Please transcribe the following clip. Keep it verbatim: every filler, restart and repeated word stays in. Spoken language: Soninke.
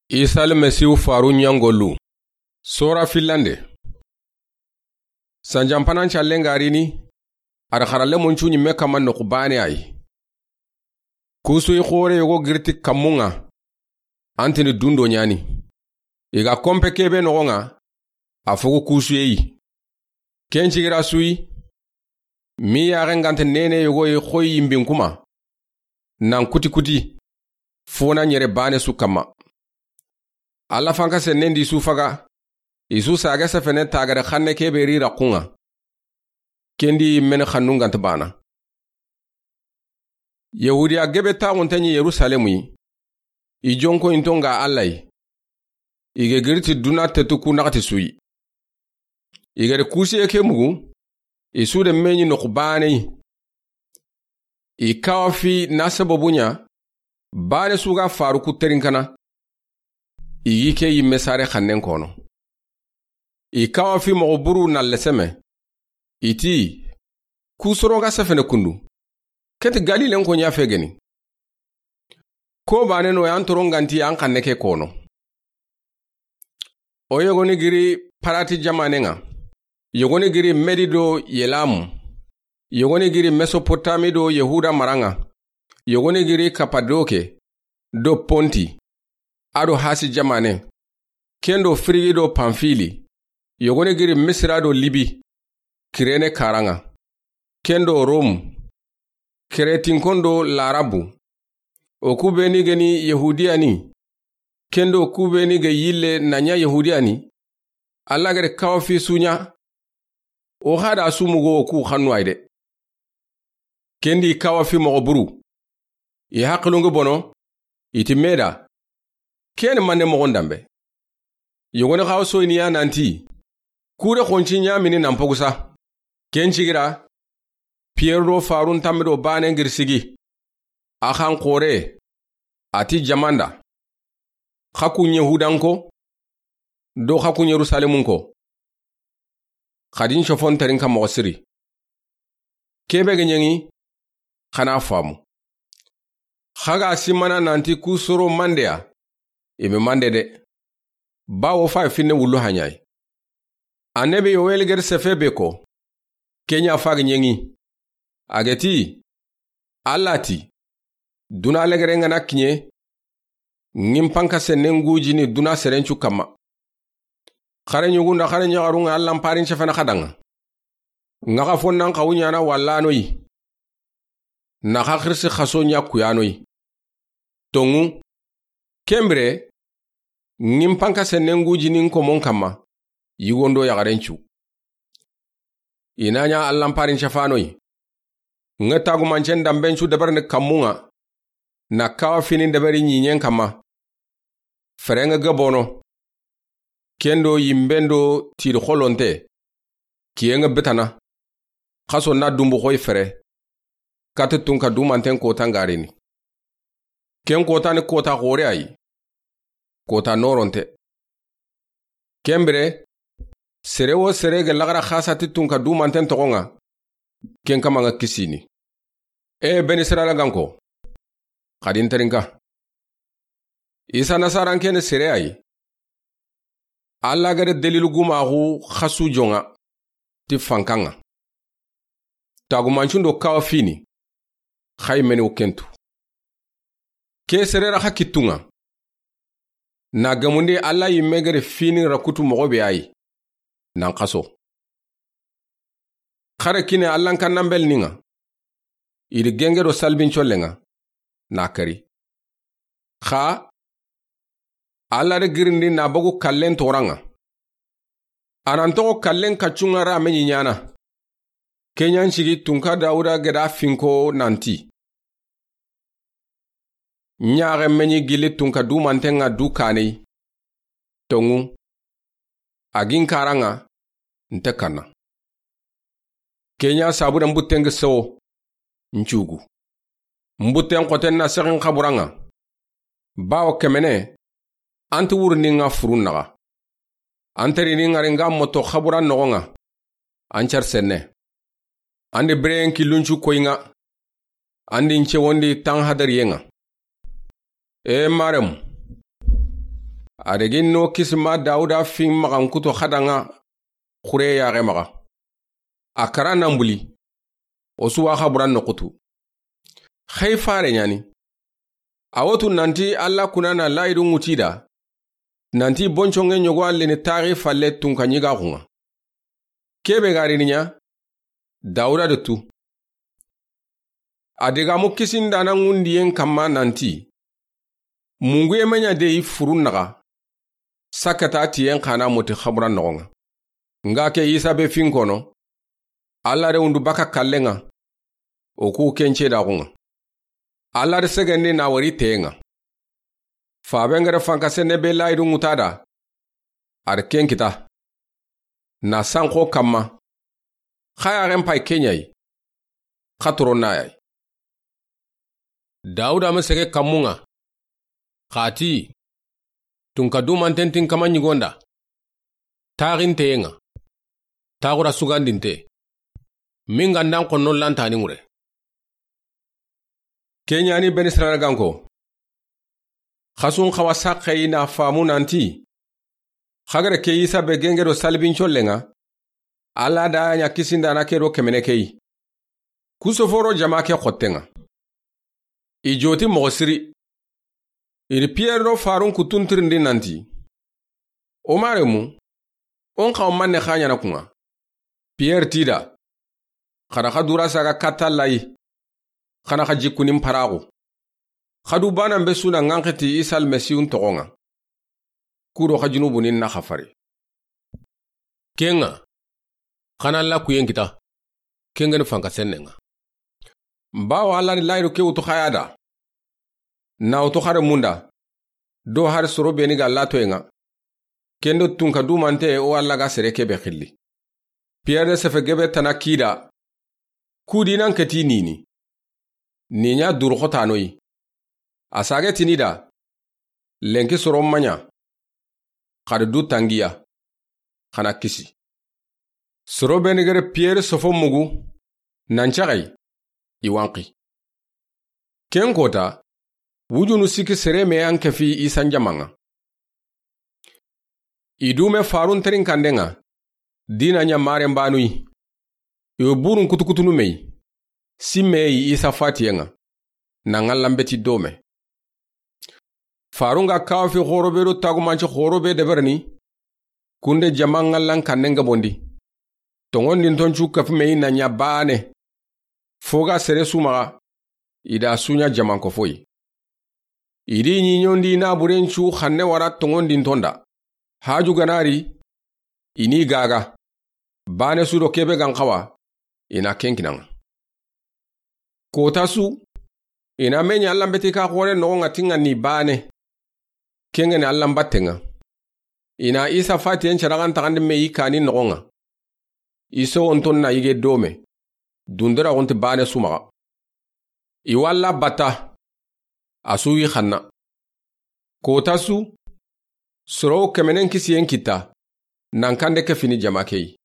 Isa Almasihu faru ɲangolu. Sora fillande. Sanjanpanan callen ga rini, a da xaralenmun cu ɲimme kanma noxu baane a yi. Kusuyi xoore yogo giri ti kanmun ŋa, an tini dundo ɲa ni. I ga konpe ke be noxon ŋa, a fogu kusuye yi. Ken cigira su yi, mi yaaxen ga nta neene yogo yi xoyi yimbin kuma, nan kuti kuti, fo na ɲere baane su kanma. Alla fanka sennen di su faga, i su saage sefene taagare xanne ke be ri raxun ŋa. Ken di yimmeni xannun ga nta baana. Yahudiya gebe taaxunte ɲi Yerusalemu yi, i jonkoyinton ga Alla yi. I ga giri ti duna tetu ku naxati su yi. I ga ri kusuye ke mugu, i su da me ɲi noxu baane yi. I kawafi na sababu ɲa, baane su ga faru ku terinkana. I yi ke yimme sare xannen kono. I kawafi moxo buru na leseme. I ti, ku soro ga sefene kundu, ke ti Galilen ko ɲa fe geni. Ko baane no yan toron ga nti an xanne ke kono. O yogoni giri Parati jamanen ŋa, yogoni giri Medi do Yelamu, yogoni giri Mesopotami do Yahuda maran ŋa, yogoni giri Kapadoke do Ponti, a do Hasi jamanen, ken do Firigi do Panfili, yogoni giri Misira do Libi, Kirene karan ŋa, ken do Romu, Keretinkon do Larabu, o ku be ni geni Yahudiya ni, ken do ku be ni ga yille na ɲa Yahudiya ni, Alla ga da kawafi su ɲa, o xa da su mugu o ku xannu a yi de. Ken di kawafi moxo buru, i haqilun ga bono, i ti me da, ken ni manne moxon danbe. Yogoni xa o soyini ya nanti, ku da xonci ɲamini nan pogu sa. Ken cigira, Piyeru do farun tanmi do baanen giri sigi. A xan xoore, a ti jaman da, xa kun Yahudanko do xa kun Yerusalemunko, xa di n sofon terinka moxo siri. Ke be ga ɲeŋi, xa na faamu. Xa ga simana nanti ku soro mande ya, i be mande de. Bawo fa finne wullu haɲayi. Annabi Yowel ga da sefe be ko, ke ɲa fa ga ɲeŋi. A ga ti, Alla ti, duna legeren ga na kiɲe, ŋin panka sennen gujini duna serencu kanma. Xare ɲugun da xare ɲaxarun ŋa Allan parin cefene xa danŋa. Ŋa xa fo nan xawu ɲana wallanoyi. Na xa xirsi xaso ɲa kuyanoyi. Tonŋu, ken bire, ŋin panka sennen gujinin komon kanma, yigon do yaxaren cu. I na ɲa Allan parin cefanoyi. Ŋa tagumancen danben cu dabarini kanmun ŋa, na kawafinin dabari ɲiɲen kanma. Feren ŋa ga bono. Ken do yimben do tiri xolonte, kiyen ŋa betana. Xaso na dunbu xoyi fere. Kati tunka dumanten kota ŋa rini. Ken kota ni kota xoore a yi. Kota noronte. Ken bire, sere wo sere ga laxara xasa ti tunka dumanten toxon ŋa, ken kanma ŋa kisini. E Beni Israila ganko, xa di n terinka. Isa Nasaran ke ni sere a yi. Alla ga da dalilu gumaxu xasu jon ŋa ti fankan ŋa. Tagumancun do kawafini, xa yi meni wo ken tu. Ke sere ra xa kittun ŋa. Na gemundi Alla yimme ga da fini ra kutu moxo be a yi. Nan xaso. Xare kine Allan kannanbelnin ŋa. I di genge do salbin collen ŋa. Na kari. Xa Alla da girindi na bogu kallen toran ŋa. A nan toxo kallen kaccun ŋa ra me ɲi ɲana. Ke ɲa n sigi tunka Dawuda ga da finko nanti. Ɲaxe me ɲi gilli tunka dumanten ŋa du kaneyi. Tonŋu. A gin karan ŋa, nte kanna. Ke ɲa sabu da n butten ga sewo, n cugu. N butten xoten na sexin xaburan ŋa. Bawo kemene, an ti wurundin ŋa furun naxa. An terini ŋari n ga moto xaburan noxon ŋa. An car senne. An di bireyen killun cu koyi ŋa. An di n cewondi tan hadariyen ŋa. E Maremu, A degin no kisima Dawuda fin maxankuto xadanŋa xure yaxe maxa. A kara nan buli. O su wa xaburan noxutu. Xey fare ɲani. A wotu nanti Alla kuna na layidu ŋuti da. Nanti bonconŋe ɲogo a lini taxi falle tunka ɲigaxunŋa. Kebe ga rini ɲa, Dawuda de tu. A digamu kisindana ŋundiyen kamma nanti, munguye me ɲa de i furun naxa, sakata tiyen xana moti xaburan noxonŋa. Nga ke Isa be fin kono, Alla de wundu baka kallenŋa, o ku kence daxunŋa. Alla de segendi na wari teyenŋa. Fabe ngere fanka sene be layidu ŋuta da, a de ken kita. Na sanxo kamma. Xa yaxen pay ke ɲa yi. Xa toron na ya yi. Dawuda ma sege kammunŋa. Xa ti, tunka dumanten tin kama ɲigonda. Taxinteyenŋa. Taxura sugandinte. Minga ndan xonno lantani ŋure. Ke ɲani Beni Israyila ganko. Xasun xawa saxeyi na famu nanti, xagare ke Isa be genge do salibin collenŋa, Alla da ɲa kisindana ke do kemene keyi. Kusoforo jama ke xottenŋa. I joti moxo siri. Iri Piyere do Farun kutuntirindi nanti, O maremu, o n xawa manne xa ɲana kunŋa? Piyere tida, xada xa dura saga katta layi, xana xa jikkunin paraxu. Xa du banan be suna ŋanxiti Isa Almasihu n toxonŋa. Kudo xa junubunin na xa fari. Kenŋa, xana Alla kuyen kita, kengeni fanka sennenŋa. Bawo Alla ni layidu ke wutu xaya da. Na wutu xare munda, do hari soro beni ga latoyenŋa. Kendo tunka dumante o Alla ga sere kebe xilli. Piyere sefe gebe tana kida, kudi nan keti nini. Ni ɲa duru xotanoyi. A sage tini da, lenki soro maɲa, xadi du tangiya, xana kisi. Soro beni gere Piyere sofo mugu, nan caxayi, i wanxi. Ken kota, wujunu siki sere me yan kefi Isa n jamanŋa. I dume Farun terin kandenŋa, dina ɲa maren banuyi. I wo burun kutukutunu meyi, simme yi Isa fatiyenŋa, na ŋallan beti dome. Farun ga kawafi xoro be do tagumanci xoro be deberini, kunde jama ŋallan kannen gabondi. Toŋondinton cu kafi meyi na ɲa bane. Fo ga sere su maxa, i da su ɲa jamanko foyi. I di ɲiɲondi na buren cu xanne wara toŋondinton da. Haju ganari, i ni gaga. Bane su do kebe gan xawa, i na ken kinanŋa. Kota su, i na me ɲa Allan beti ka xore noxonŋa tinŋa ni bane. Kengeni Allan battenŋa. I na Isa fatiyen caraxan taxandi me yi kani noxonŋa. I sowonton na yige dome. Dundira xunti bane su maxa. I walla batta. A su wi xanna. Kota su, soro kemenen kisiyen kita, nan kande ke fini jama keyi.